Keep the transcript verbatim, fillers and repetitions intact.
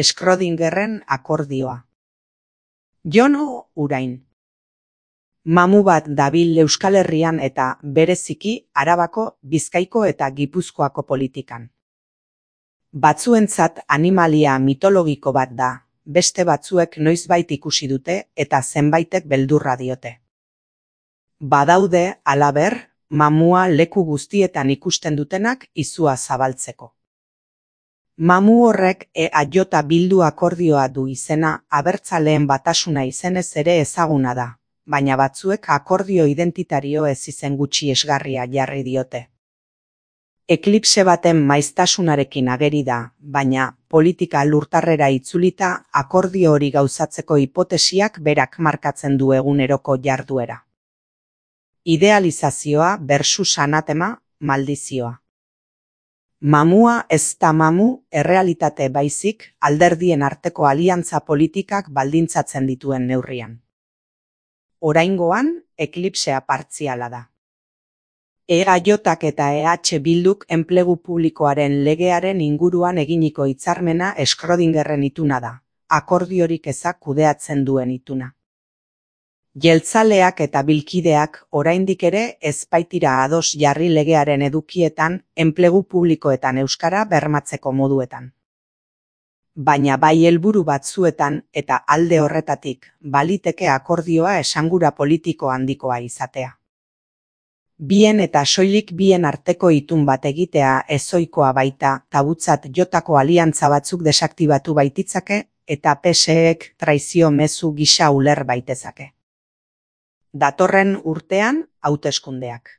Schrödingerren akordioa. Jono Urain. Mamu bat dabil Euskal Herrian eta bereziki Arabako, Bizkaiko eta Gipuzkoako politikan. Batzuentzat animalia mitologiko bat da, beste batzuek noizbait ikusi dute eta zenbaitek beldurra diote. Badaude, halaber, mamua leku guztietan ikusten dutenak izua zabaltzeko. Mamu horrek E A J Bildu akordioa du izena abertzaleen batasuna izenez ere ezaguna da, baina batzuek akordio identitario ez izen gutxi esgarria jarri diote. Eklipse baten maiztasunarekin ageri da, baina politika lurtarrera itzulita akordio hori gauzatzeko hipotesiak berak markatzen du eguneroko jarduera. Idealizazioa versus anatema, maldizioa. Mamua ez da mamu, errealitate baizik, alderdien arteko aliantza politikak baldintzatzen dituen neurrian. Oraingoan, eklipsea partziala da. E A Jak eta E H Bilduk enplegu publikoaren legearen inguruan eginiko hitzarmena Schrödingerren ituna da, akordiorik ezak kudeatzen duen ituna. Jeltzaleak eta bilkideak oraindik ere ez baitira ados jarri legearen edukietan enplegu publikoetan euskara bermatzeko moduetan. Baina bai helburu batzuetan eta alde horretatik baliteke akordioa esangura politiko handikoa izatea. Bien eta soilik bien arteko itun bat egitea ezoikoa baita tabutzat jotako aliantza batzuk desaktibatu baititzake eta P S Ek traizio mezu gisa uler baitezake. Datorren urtean hauteskundeak.